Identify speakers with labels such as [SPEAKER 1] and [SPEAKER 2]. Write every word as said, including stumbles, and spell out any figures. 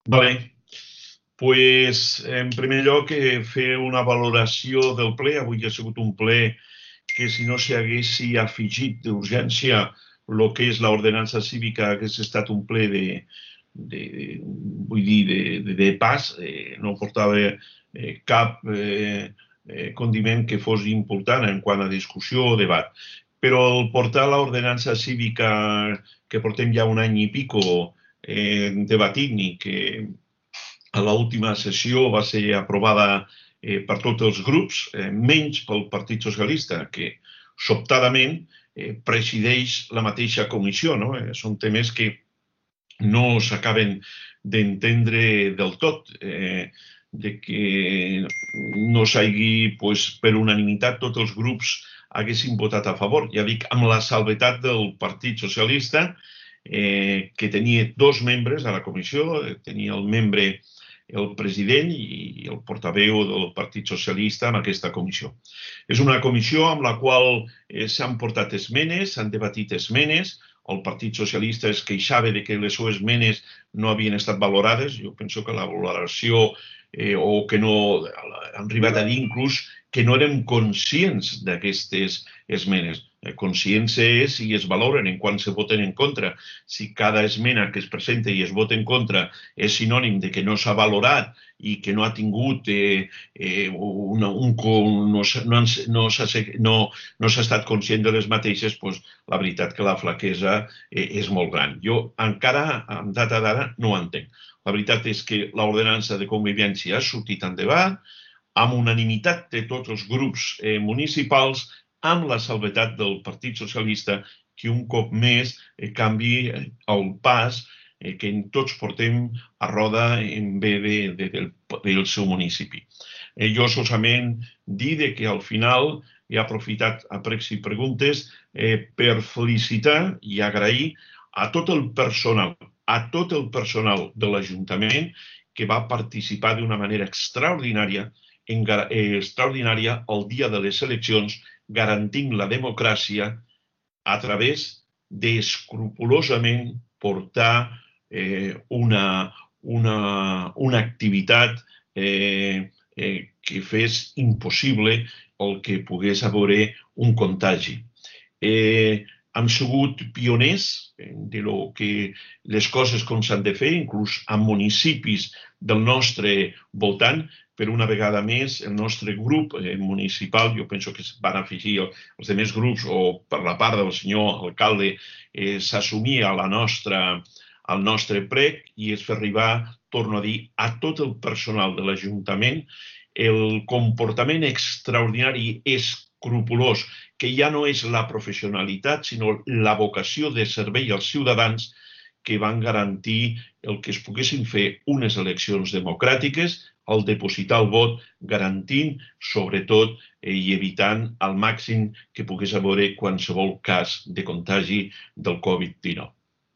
[SPEAKER 1] Vale, pues en primer lloc eh, fer una valoració del ple. Avui ha sigut un ple que si no s'hi haguessi afegit d'urgència el que és l'ordenança cívica hagués estat un ple de, de, vull dir, de, de, de pas, eh, no portava eh, cap eh, eh, condiment que fos important en quant a discussió o debat. Però el portar l'ordenança cívica que portem ja un any i pico eh, debatint i que a l'última sessió va ser aprovada eh, per tots els grups, eh, menys pel Partit Socialista, que sobtadament eh, presideix la mateixa comissió. No? Eh, són temes que no s'acaben d'entendre del tot, eh, de que no s'hagi, pues, per unanimitat, tots els grups haguessin votat a favor. Ja dic, amb la salvetat del Partit Socialista, eh, que tenia dos membres a la comissió, tenia el membre el president i el portaveu del Partit Socialista en aquesta comissió. És una comissió amb la qual eh, s'han portat esmenes, s'han debatit esmenes. El Partit Socialista es queixava de que les seves esmenes no havien estat valorades. Jo penso que la valoració eh, o que no han arribat a dir inclús que no érem conscients d'aquestes esmenes. Eh, consciència és si es valoren en quan se voten en contra. Si cada esmena que es presenta i es vota en contra és sinònim de que no s'ha valorat i que no ha tingut eh, eh, una, un, no, no, no s'ha no, no estat conscient de les mateixes, doncs la veritat que la flaquesa eh, és molt gran. Jo encara, en data d'ara, no ho entenc. La veritat és que l'ordenança de convivència ha sortit en debat, amb unanimitat de tots els grups eh, municipals, amb la salvetat del Partit Socialista, que un cop més eh, canvi el pas eh, que tots portem a roda en bé de, de, del, del seu municipi. Eh, jo solament dir que al final he aprofitat a pregs i preguntes eh, per felicitar i agrair a tot el personal, a tot el personal de l'Ajuntament que va participar d'una manera extraordinària en, eh, extraordinària el dia de les eleccions, garantint la democràcia a través d'escrupolosament portar eh, una, una, una activitat eh, eh, que fes impossible el que pogués haver un contagi. Eh, hem sigut pioners de lo que les coses com s'han de fer, inclús a municipis del nostre voltant. Per una vegada més, el nostre grup eh, municipal, jo penso que van afegir els altres grups, o per la part del senyor alcalde, eh, s'assumia la nostra, el nostre prec i es fa arribar, torno a dir, a tot el personal de l'Ajuntament el comportament extraordinari, escrupolós, que ja no és la professionalitat, sinó la vocació de servei als ciutadans que van garantir el que es poguessin fer unes eleccions democràtiques, el depositar el vot, garantint, sobretot, eh, i evitant al màxim que pogués haver qualsevol cas de contagi del Covid dinou.